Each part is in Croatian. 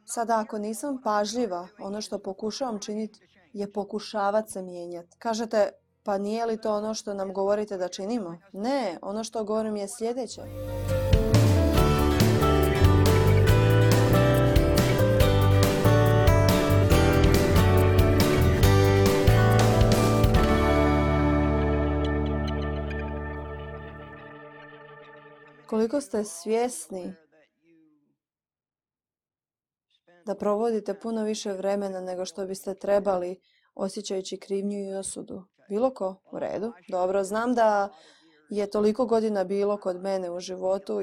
Sada ako nisam pažljiva, ono što pokušavam činiti je pokušavat se mijenjati. Kažete, pa nije li to ono što nam govorite da činimo? Ne, ono što govorim je sljedeće. Koliko ste svjesni da provodite puno više vremena nego što biste trebali osjećajući krivnju i osudu? Bilo ko? U redu. Dobro, znam da je toliko godina bilo kod mene u životu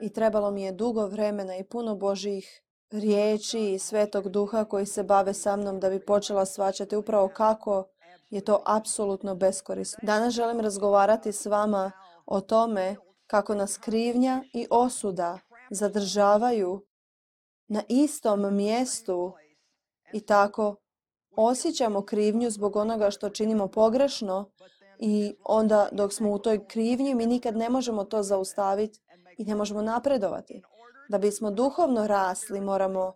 i trebalo mi je dugo vremena i puno Božjih riječi i Svetog Duha koji se bave sa mnom da bi počela shvaćati upravo kako je to apsolutno beskorisno. Danas želim razgovarati s vama o tome kako nas krivnja i osuda zadržavaju na istom mjestu i tako osjećamo krivnju zbog onoga što činimo pogrešno i onda dok smo u toj krivnji mi nikad ne možemo to zaustaviti i ne možemo napredovati. Da bismo duhovno rasli moramo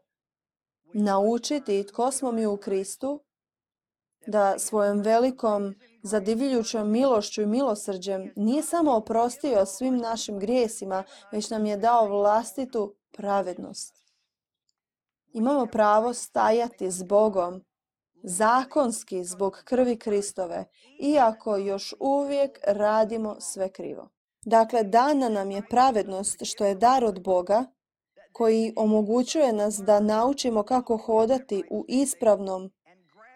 naučiti tko smo mi u Kristu, da svojom velikom zadivljujućom milošću i milosrđem nije samo oprostio svim našim grijesima, već nam je dao vlastitu pravednost. Imamo pravo stajati s Bogom zakonski zbog krvi Kristove, iako još uvijek radimo sve krivo. Dakle, dana nam je pravednost što je dar od Boga koji omogućuje nas da naučimo kako hodati u ispravnom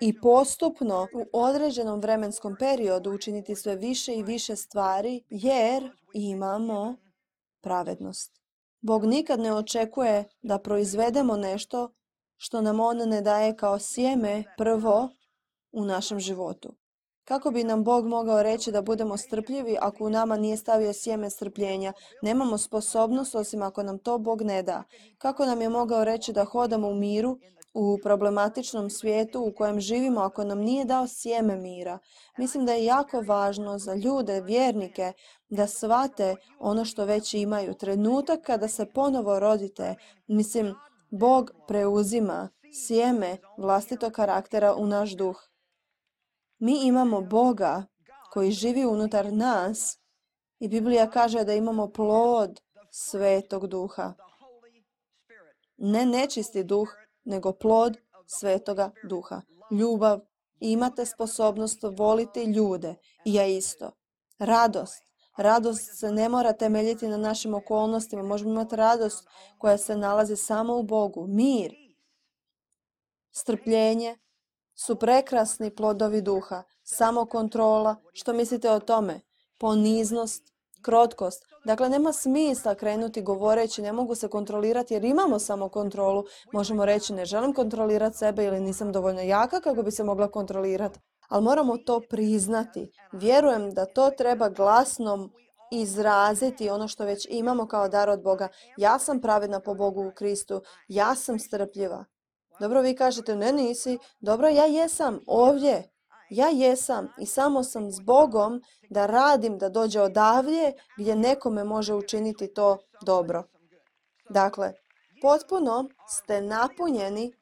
i postupno u određenom vremenskom periodu učiniti sve više i više stvari jer imamo pravednost. Bog nikad ne očekuje da proizvedemo nešto što nam On ne daje kao sjeme prvo u našem životu. Kako bi nam Bog mogao reći da budemo strpljivi ako u nama nije stavio sjeme strpljenja? Nemamo sposobnost osim ako nam to Bog ne da. Kako nam je mogao reći da hodamo u miru u problematičnom svijetu u kojem živimo ako nam nije dao sjeme mira? Mislim da je jako važno za ljude, vjernike, da shvate ono što već imaju. Trenutak kada se ponovo rodite, Bog preuzima sjeme vlastitog karaktera u naš duh. Mi imamo Boga koji živi unutar nas i Biblija kaže da imamo plod Svetog Duha. Ne nečisti duh, nego plod Svetoga Duha. Ljubav. Imate sposobnost voliti ljude. I ja isto. Radost. Radost se ne mora temeljiti na našim okolnostima. Možemo imati radost koja se nalazi samo u Bogu. Mir. Strpljenje su prekrasni plodovi duha. Samokontrola. Što mislite o tome? Poniznost, krotkost. Dakle, nema smisla krenuti govoreći ne mogu se kontrolirati jer imamo samokontrolu. Možemo reći ne želim kontrolirati sebe ili nisam dovoljno jaka kako bi se mogla kontrolirati. Ali moramo to priznati. Vjerujem da to treba glasno izraziti ono što već imamo kao dar od Boga. Ja sam pravedna po Bogu u Kristu. Ja sam strpljiva. Dobro, vi kažete ne nisi. Dobro, ja jesam ovdje. Ja jesam i samo sam s Bogom da radim da dođe odavdje gdje nekome može učiniti to dobro. Dakle, potpuno ste napunjeni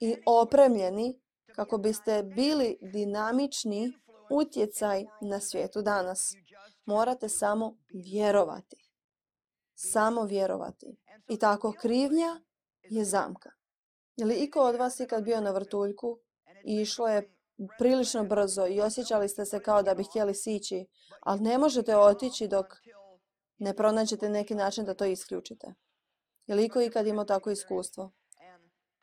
i opremljeni kako biste bili dinamični utjecaj na svijetu danas. Morate samo vjerovati. Samo vjerovati. I tako krivnja je zamka. Je li iko od vas ikad bio na vrtuljku i išlo je prilično brzo i osjećali ste se kao da bi htjeli sići, ali ne možete otići dok ne pronađete neki način da to isključite? Je li iko ikad imao takvo iskustvo?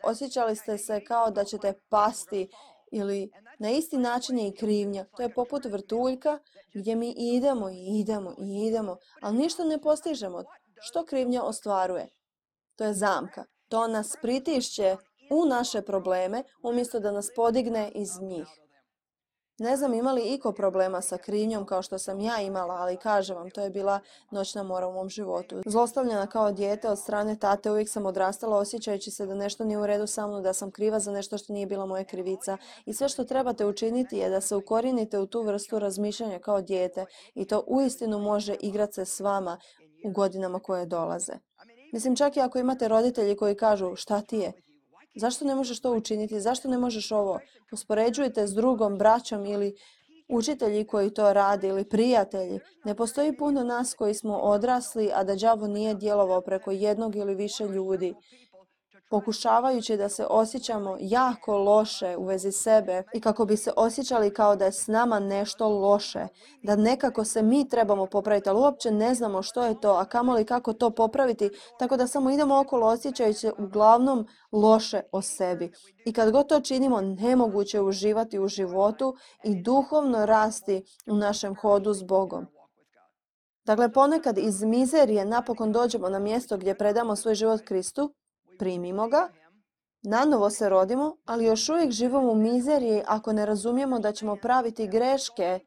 Osjećali ste se kao da ćete pasti ili na isti način je i krivnja. To je poput vrtuljka gdje mi idemo i idemo i idemo, ali ništa ne postižemo. Što krivnja ostvaruje? To je zamka. To nas pritišće u naše probleme umjesto da nas podigne iz njih. Ne znam ima li iko problema sa krivnjom kao što sam ja imala, ali kažem vam, to je bila noćna mora u mom životu. Zlostavljena kao dijete od strane tate, uvijek sam odrastala osjećajući se da nešto nije u redu sa mnom, da sam kriva za nešto što nije bila moja krivica. I sve što trebate učiniti je da se ukorijenite u tu vrstu razmišljanja kao dijete i to uistinu može igrati se s vama u godinama koje dolaze. Čak i ako imate roditelji koji kažu šta ti je, Zašto ne možeš to učiniti? Zašto ne možeš ovo? Uspoređujete s drugom, braćom ili učitelji koji to rade ili prijatelji. Ne postoji puno nas koji smo odrasli, a da đavo nije djelovao preko jednog ili više ljudi, pokušavajući da se osjećamo jako loše u vezi sebe i kako bi se osjećali kao da je s nama nešto loše, da nekako se mi trebamo popraviti, ali uopće ne znamo što je to, a kamoli kako to popraviti, tako da samo idemo okolo osjećajući se uglavnom loše o sebi. I kad god to činimo, nemoguće je uživati u životu i duhovno rasti u našem hodu s Bogom. Dakle, ponekad iz mizerije napokon dođemo na mjesto gdje predamo svoj život Kristu, primimo ga, nanovo se rodimo, ali još uvijek živimo u mizeriji ako ne razumijemo da ćemo praviti greške.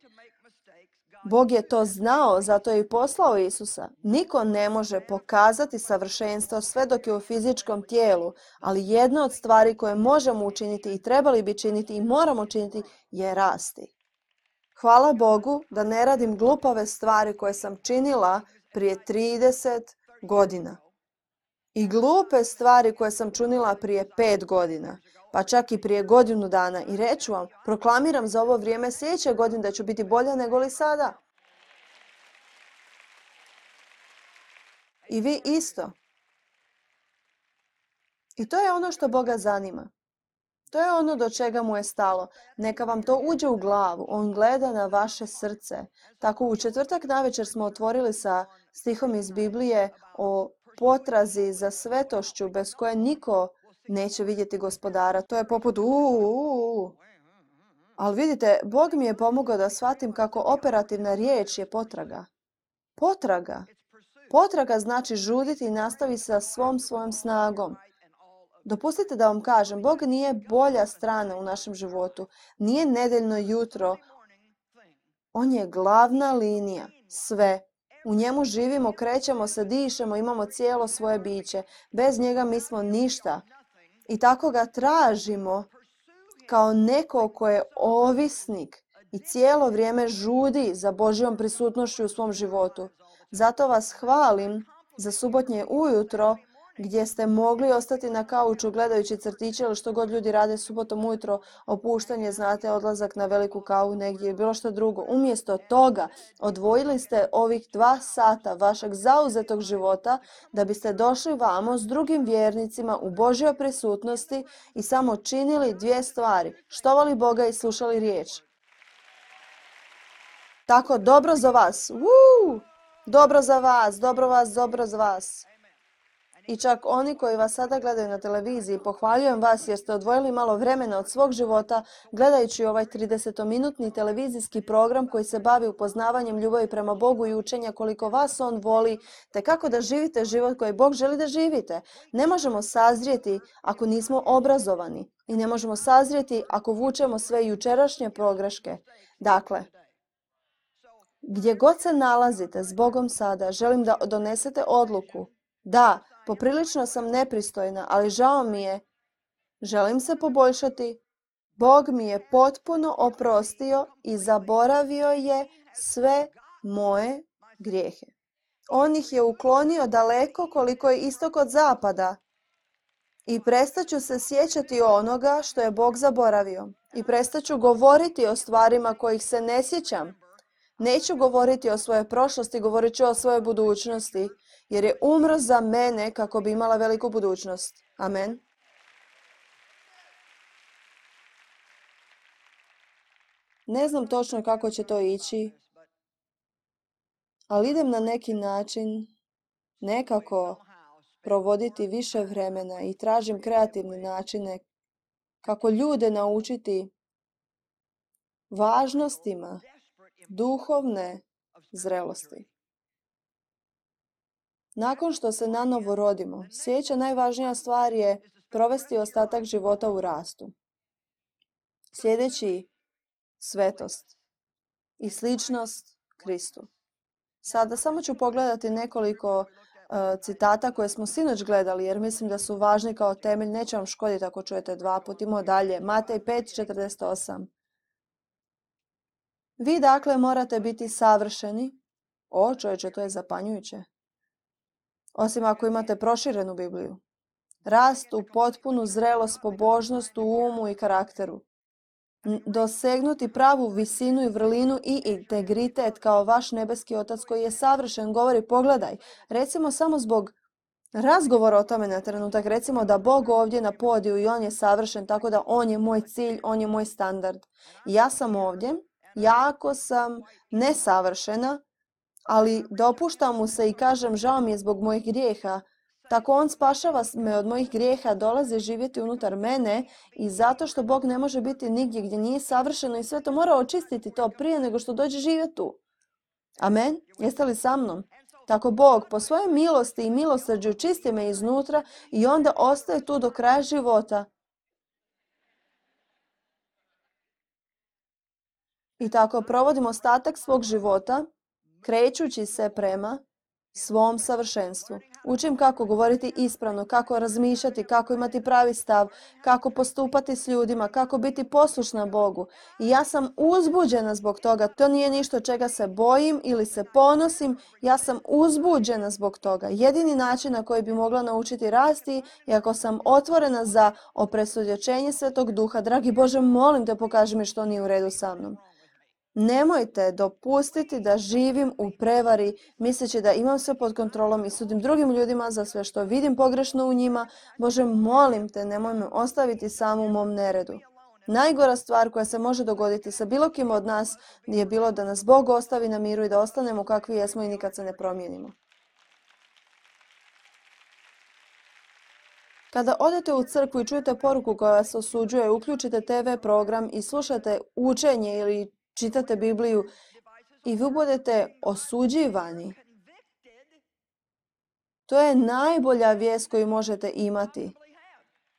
Bog je to znao, zato je i poslao Isusa. Niko ne može pokazati savršenstvo sve dok je u fizičkom tijelu, ali jedna od stvari koje možemo učiniti i trebali bi činiti i moramo činiti je rasti. Hvala Bogu da ne radim glupave stvari koje sam činila prije 30 godina. I glupe stvari koje sam činila prije 5 godina, pa čak i prije godinu dana. I reću vam, proklamiram za ovo vrijeme sljedeće godine da ću biti bolja nego li sada. I vi isto. I to je ono što Boga zanima. To je ono do čega mu je stalo. Neka vam to uđe u glavu. On gleda na vaše srce. Tako u četvrtak navečer smo otvorili sa stihom iz Biblije o potrazi za svetošću bez koje niko neće vidjeti Gospodara. To je poput Ali vidite, Bog mi je pomogao da shvatim kako operativna riječ je potraga. Potraga. Potraga znači žuditi i nastavi sa svojom snagom. Dopustite da vam kažem, Bog nije bolja strana u našem životu. Nije nedeljno jutro. On je glavna linija. Sve. U njemu živimo, krećemo se, dišemo, imamo cijelo svoje biće. Bez njega mi smo ništa. I tako ga tražimo kao neko ko je ovisnik i cijelo vrijeme žudi za Božjom prisutnošću u svom životu. Zato vas hvalim za subotnje ujutro gdje ste mogli ostati na kauču gledajući crtiće ili što god ljudi rade subotom ujutro, opuštanje, znate, odlazak na veliku kavu negdje ili bilo što drugo. Umjesto toga odvojili ste ovih 2 sata vašeg zauzetog života da biste došli vamo s drugim vjernicima u Božjoj prisutnosti i samo činili 2 stvari. Štovali Boga i slušali riječ. Tako, dobro za vas. Dobro za vas, dobro za vas. I čak oni koji vas sada gledaju na televiziji, pohvaljujem vas jer ste odvojili malo vremena od svog života gledajući ovaj 30-minutni televizijski program koji se bavi upoznavanjem ljubavi prema Bogu i učenja koliko vas On voli, te kako da živite život koji Bog želi da živite. Ne možemo sazrijeti ako nismo obrazovani i ne možemo sazrijeti ako vučemo sve jučerašnje pogreške. Dakle, gdje god se nalazite s Bogom sada, želim da donesete odluku. Da, poprilično sam nepristojna, ali žao mi je. Želim se poboljšati. Bog mi je potpuno oprostio i zaboravio je sve moje grijehe. On ih je uklonio daleko koliko je istok od zapada. I prestaću se sjećati onoga što je Bog zaboravio. I prestaću govoriti o stvarima kojih se ne sjećam. Neću govoriti o svojoj prošlosti, govorit ću o svojoj budućnosti, jer je umro za mene kako bi imala veliku budućnost. Amen. Ne znam točno kako će to ići, ali idem na neki način nekako provoditi više vremena i tražim kreativne načine kako ljude naučiti važnostima duhovne zrelosti. Nakon što se nanovo rodimo, sljedeća najvažnija stvar je provesti ostatak života u rastu. Sljedeći, svetost i sličnost Kristu. Sada samo ću pogledati nekoliko citata koje smo sinoć gledali, jer mislim da su važni kao temelj. Neće vam škoditi ako čujete 2 puta. Idemo dalje. Matej 5:48. Vi dakle morate biti savršeni. O čovječe, to je zapanjujuće. Osim ako imate proširenu Bibliju. rast u potpunu zrelost, pobožnost u umu i karakteru. Dosegnuti pravu visinu i vrlinu i integritet kao vaš nebeski otac koji je savršen, govori, pogledaj, recimo samo zbog razgovora o tome na trenutak, recimo da Bog ovdje na podiju i On je savršen, tako da On je moj cilj, On je moj standard. Ja sam ovdje, jako sam nesavršena, ali dopuštam mu se i kažem žao mi je zbog mojih grijeha. Tako On spašava me od mojih grijeha, dolazi živjeti unutar mene i zato što Bog ne može biti nigdje gdje nije savršeno i sve to mora očistiti to prije nego što dođe živjeti tu. Amen? Jeste li sa mnom? Tako Bog po svojoj milosti i milosrđu čisti me iznutra i onda ostaje tu do kraja života. I tako provodim ostatak svog života krećući se prema svom savršenstvu. Učim kako govoriti ispravno, kako razmišljati, kako imati pravi stav, kako postupati s ljudima, kako biti poslušna Bogu. I ja sam uzbuđena zbog toga. To nije ništa čega se bojim ili se ponosim. Ja sam uzbuđena zbog toga. Jedini način na koji bi mogla naučiti rasti je ako sam otvorena za opresudjećenje Svetog Duha. Dragi Bože, molim te, pokaži mi što nije u redu sa mnom. Nemojte dopustiti da živim u prevari misleći da imam sve pod kontrolom i sudim drugim ljudima za sve što vidim pogrešno u njima. Bože, molim te, nemoj me ostaviti samo u mom neredu. Najgora stvar koja se može dogoditi sa bilo kim od nas je bilo da nas Bog ostavi na miru i da ostanemo kakvi jesmo i nikad se ne promijenimo. Kada odete u crkvu i čujete poruku koja vas osuđuje, uključite TV program i slušate učenje ili čitate Bibliju i vi budete osuđivani. To je najbolja vijest koju možete imati.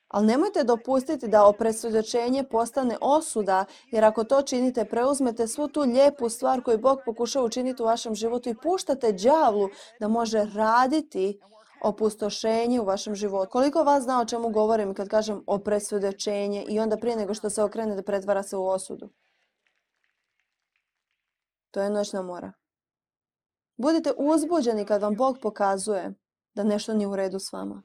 Ali nemojte dopustiti da opresudjećenje postane osuda, jer ako to činite, preuzmete svu tu lijepu stvar koju Bog pokušava učiniti u vašem životu i puštate đavlu da može raditi opustošenje u vašem životu. Koliko vas zna o čemu govorim kad kažem opresudjećenje i onda prije nego što se okrenete pretvara se u osudu? To je noćna mora. Budite uzbuđeni kad vam Bog pokazuje da nešto nije u redu s vama.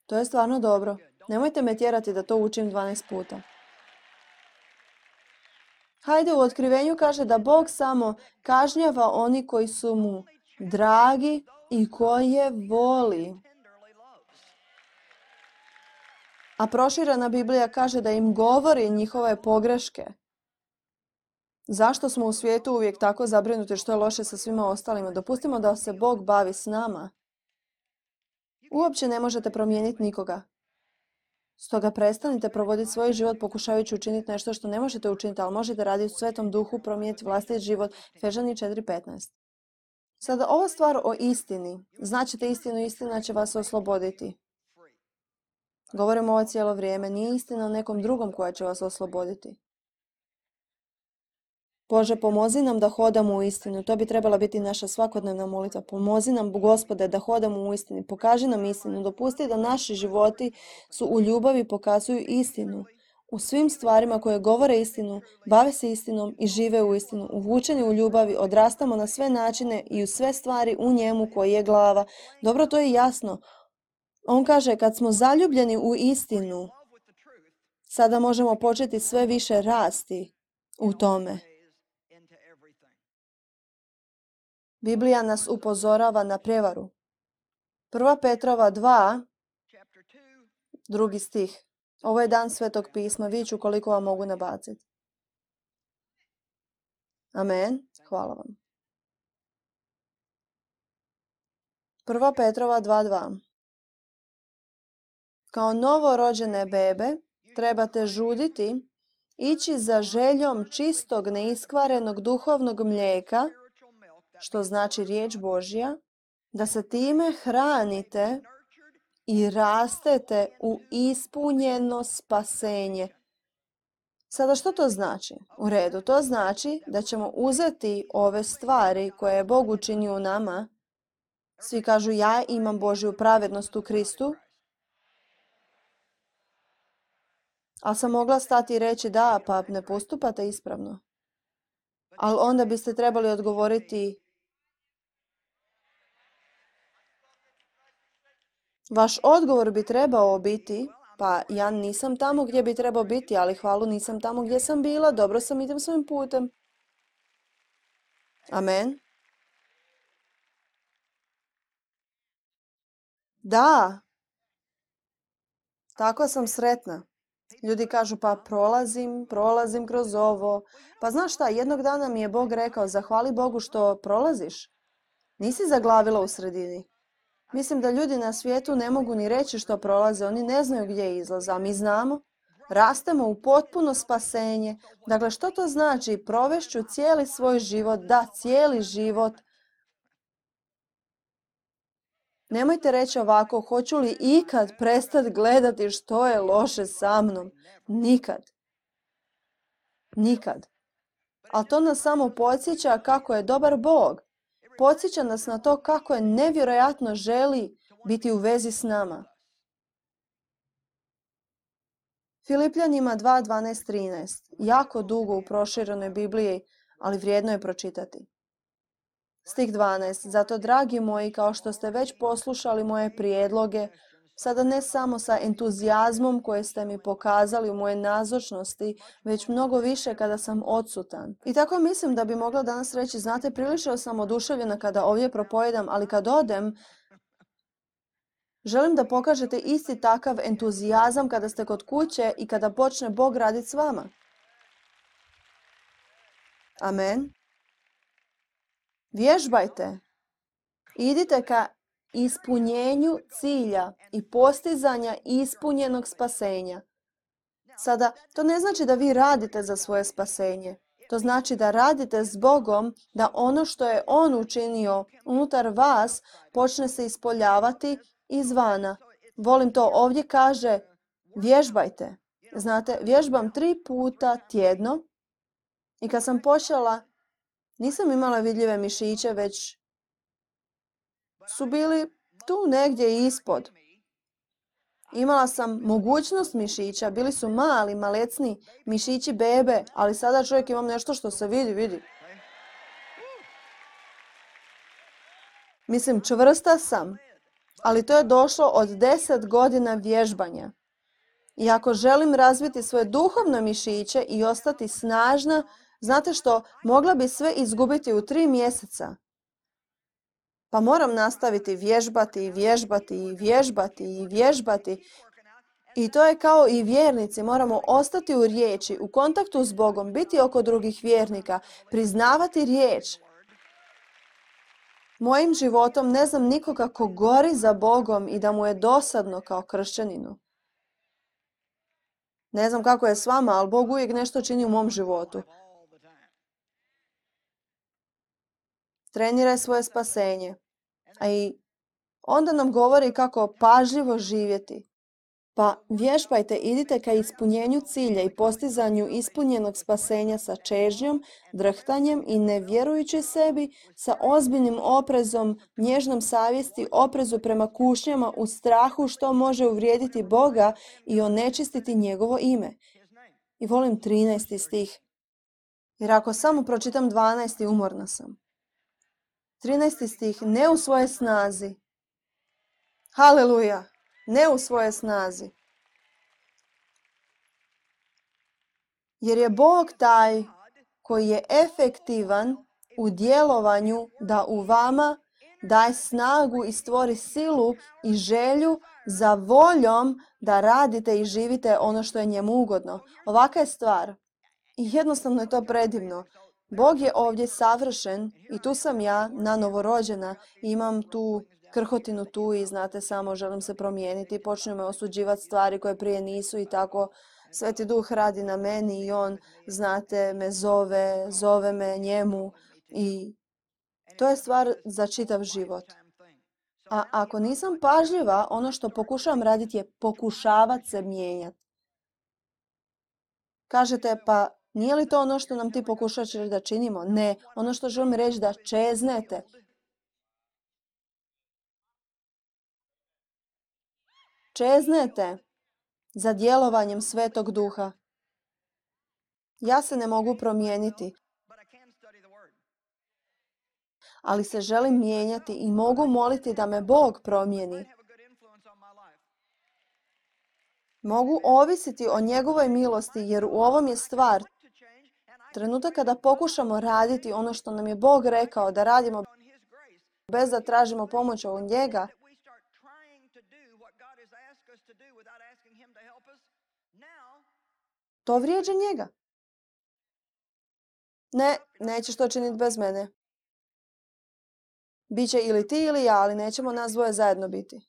To je stvarno dobro. Nemojte me tjerati da to učim 12 puta. Hajde, u Otkrivenju kaže da Bog samo kažnjava oni koji su mu dragi i koje voli. A proširena Biblija kaže da im govori njihove pogreške. Zašto smo u svijetu uvijek tako zabrinuti što je loše sa svima ostalima? Dopustimo da se Bog bavi s nama. Uopće ne možete promijeniti nikoga. Stoga prestanite provoditi svoj život pokušavajući učiniti nešto što ne možete učiniti, ali možete raditi u Svetom Duhu, promijeniti vlastiti život. Efežani 4:15. Sada ova stvar o istini. Značite istinu, istina će vas osloboditi. Govorimo ovo cijelo vrijeme. Nije istina o nekom drugom koja će vas osloboditi. Bože, pomozi nam da hodamo u istinu. To bi trebala biti naša svakodnevna molitva. Pomozi nam, Gospode, da hodamo u istini. Pokaži nam istinu. Dopusti da naši životi su u ljubavi, pokazuju istinu. U svim stvarima koje govore istinu, bave se istinom i žive u istinu. Uvučeni u ljubavi, odrastamo na sve načine i u sve stvari u njemu koji je glava. Dobro, to je jasno. On kaže, kad smo zaljubljeni u istinu, sada možemo početi sve više rasti u tome. Biblija nas upozorava na prijevaru. 1. Petrova 2, 2. stih. Ovo je dan Svetog pisma, vidjet ću koliko vam mogu nabaciti. Amen. Hvala vam. 1. Petrova 2:2. Kao novorođene bebe trebate žuditi, ići za željom čistog, neiskvarenog duhovnog mlijeka, što znači riječ Božja, da se time hranite i rastete u ispunjeno spasenje. Sada što to znači? U redu, to znači da ćemo uzeti ove stvari koje je Bog učinio u nama. Svi kažu ja imam Božju pravednost u Kristu. Ali sam mogla stati i reći da, pa ne postupate ispravno. Ali onda biste trebali odgovoriti Vaš odgovor bi trebao biti, pa ja nisam tamo gdje bi trebao biti, ali hvalu nisam tamo gdje sam bila, dobro sam, idem svojim putem. Amen. Da, tako sam sretna. Ljudi kažu pa prolazim kroz ovo. Pa znaš šta, jednog dana mi je Bog rekao, zahvali Bogu što prolaziš. Nisi zaglavila u sredini. Mislim da ljudi na svijetu ne mogu ni reći što prolaze, oni ne znaju gdje je izlaz, a mi znamo. Rastemo u potpuno spasenje. Dakle, što to znači? Provešću cijeli svoj život, da, cijeli život. Nemojte reći ovako, hoću li ikad prestati gledati što je loše sa mnom? Nikad. Nikad. Ali to nas samo podsjeća kako je dobar Bog. Podsjeća nas na to kako je nevjerojatno želi biti u vezi s nama. Filipljanima 2, 12, 13. Jako dugo u proširenoj Bibliji, ali vrijedno je pročitati. Stih 12. Zato, dragi moji, kao što ste već poslušali moje prijedloge, sada ne samo sa entuzijazmom koje ste mi pokazali u moje nazočnosti, već mnogo više kada sam odsutan. I tako mislim da bi mogla danas reći, znate, prilično sam oduševljena kada ovdje propojedam, ali kad odem, želim da pokažete isti takav entuzijazam kada ste kod kuće i kada počne Bog raditi s vama. Amen. Vježbajte. Idite ka ispunjenju cilja i postizanja ispunjenog spasenja. Sada, to ne znači da vi radite za svoje spasenje. To znači da radite s Bogom, da ono što je On učinio unutar vas počne se ispoljavati izvana. Volim to, ovdje kaže vježbajte. Znate, vježbam 3 puta tjedno i kad sam počela, nisam imala vidljive mišiće, već su bili tu negdje ispod. Imala sam mogućnost mišića, bili su mali, malecni mišići bebe, ali sada čovjek imam nešto što se vidi. Mislim, čvrsta sam, ali to je došlo od 10 godina vježbanja. I ako želim razviti svoje duhovno mišiće i ostati snažna, znate što, mogla bi sve izgubiti u 3 mjeseca. Pa moram nastaviti vježbati. I to je kao i vjernici, moramo ostati u riječi, u kontaktu s Bogom, biti oko drugih vjernika, priznavati riječ. Mojim životom ne znam nikoga ko gori za Bogom i da mu je dosadno kao kršćaninu. Ne znam kako je s vama, ali Bog uvijek nešto čini u mom životu. Treniraj svoje spasenje. A i onda nam govori kako pažljivo živjeti. Pa vježbajte, idite ka ispunjenju cilja i postizanju ispunjenog spasenja sa čežnjom, drhtanjem i ne vjerujući sebi, sa ozbiljnim oprezom, nježnom savjesti, oprezu prema kušnjama u strahu što može uvrijediti Boga i onečistiti njegovo ime. I volim 13. stih. Jer ako samo pročitam 12. umorna sam. 13. stih. Ne u svojoj snazi. Haleluja. Ne u svojoj snazi. Jer je Bog taj koji je efektivan u djelovanju da u vama daje snagu i stvori silu i želju za voljom da radite i živite ono što je njemu ugodno. Ovaka je stvar. I jednostavno je to predivno. Bog je ovdje savršen i tu sam ja, novorođena, imam tu krhotinu tu i znate samo želim se promijeniti, počnu me osuđivati stvari koje prije nisu i tako Sveti Duh radi na meni i on, znate, me zove me njemu i to je stvar za čitav život. A ako nisam pažljiva, ono što pokušavam raditi je pokušavati se mijenjati. Kažete, pa nije li to ono što nam ti pokušavaš da činimo? Ne, ono što želim reći da čeznete. Čeznete za djelovanjem Svetog Duha. Ja se ne mogu promijeniti, ali se želim mijenjati i mogu moliti da me Bog promijeni. Mogu ovisiti o njegovoj milosti jer u ovom je stvar. Trenutak kada pokušamo raditi ono što nam je Bog rekao da radimo bez da tražimo pomoć od njega, to vrijeđa njega. Ne, nećeš to činiti bez mene. Biće ili ti ili ja, ali nećemo nas dvoje zajedno biti.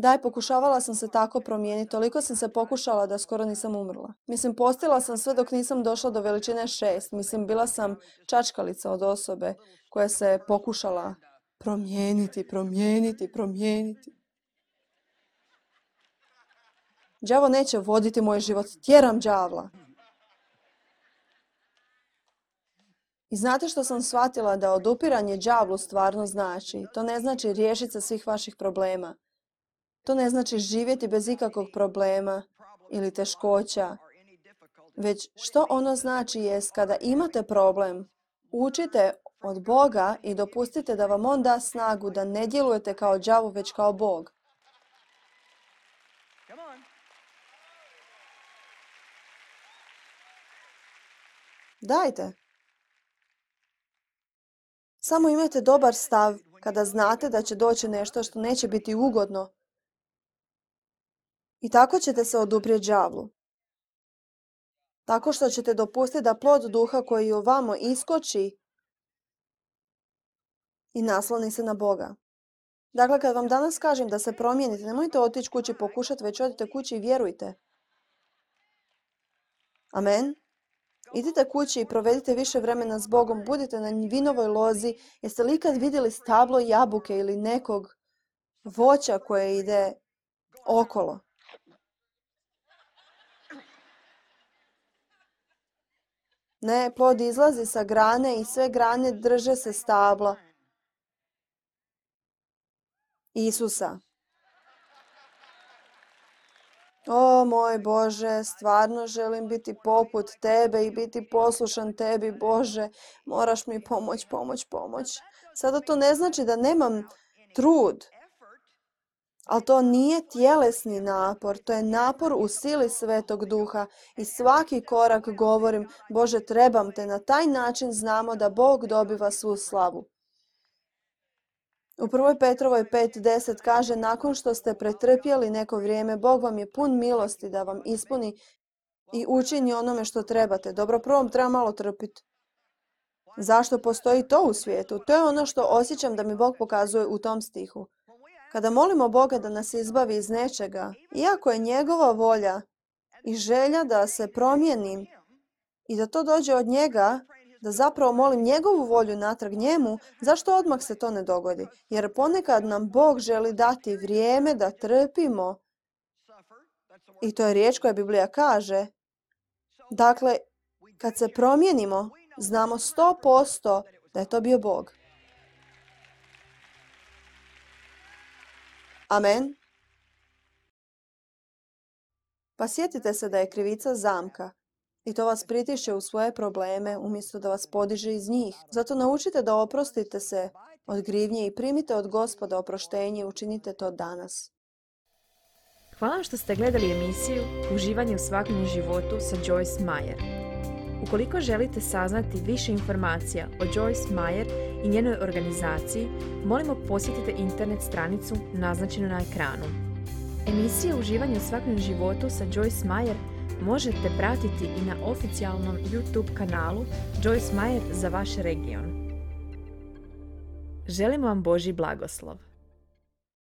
Daj, pokušavala sam se tako promijeniti, toliko sam se pokušala da skoro nisam umrla. Postila sam sve dok nisam došla do veličine 6. Bila sam čačkalica od osobe koja se pokušala promijeniti. Đavo neće voditi moj život, tjeram đavla. I znate što sam shvatila? Da odupiranje đavlu stvarno znači. To ne znači riješiti se svih vaših problema. To ne znači živjeti bez ikakvog problema ili teškoća. Već što ono znači jest kada imate problem, učite od Boga i dopustite da vam On da snagu da ne djelujete kao đavo već kao Bog. Dajte. Samo imajte dobar stav kada znate da će doći nešto što neće biti ugodno. I tako ćete se oduprijeti đavlu. Tako što ćete dopustiti da plod duha koji u vama iskoči i nasloni se na Boga. Dakle, kad vam danas kažem da se promijenite, nemojte otići kući pokušati, već odite kući i vjerujte. Amen. Idite kući i provedite više vremena s Bogom, budite na vinovoj lozi. Jeste li ikad vidjeli stablo jabuke ili nekog voća koje ide okolo? Ne, plod izlazi sa grane i sve grane drže se stabla Isusa. O moj Bože, stvarno želim biti poput Tebe i biti poslušan Tebi, Bože. Moraš mi pomoć. Sada to ne znači da nemam trud, ali to nije tjelesni napor, to je napor u sili Svetog Duha i svaki korak govorim, Bože, trebam Te. Na taj način znamo da Bog dobiva svu slavu. U 1. Petrovoj 5.10 kaže, nakon što ste pretrpjeli neko vrijeme, Bog vam je pun milosti da vam ispuni i učini onome što trebate. Dobro, prvom treba malo trpiti. Zašto postoji to u svijetu? To je ono što osjećam da mi Bog pokazuje u tom stihu. Kada molimo Boga da nas izbavi iz nečega, iako je njegova volja i želja da se promijenim i da to dođe od njega, da zapravo molim njegovu volju natrag njemu, zašto odmah se to ne dogodi? Jer ponekad nam Bog želi dati vrijeme da trpimo. I to je riječ koja Biblija kaže. Dakle, kad se promijenimo, znamo 100% da je to bio Bog. Amen. Pa sjetite se da je krivica zamka. I to vas pritišće u svoje probleme umjesto da vas podiže iz njih. Zato naučite da oprostite se od krivnje i primite od Gospoda oproštenje i učinite to danas. Hvala što ste gledali emisiju Uživanje u svakodnevnom životu sa Joyce Meyer. Ukoliko želite saznati više informacija o Joyce Meyer i njenoj organizaciji, molimo posjetite internet stranicu naznačenu na ekranu. Emisiju Uživanje u svakodnevnom životu sa Joyce Meyer možete pratiti i na oficijalnom YouTube kanalu Joyce Meyer za vaš region. Želimo vam Božji blagoslov.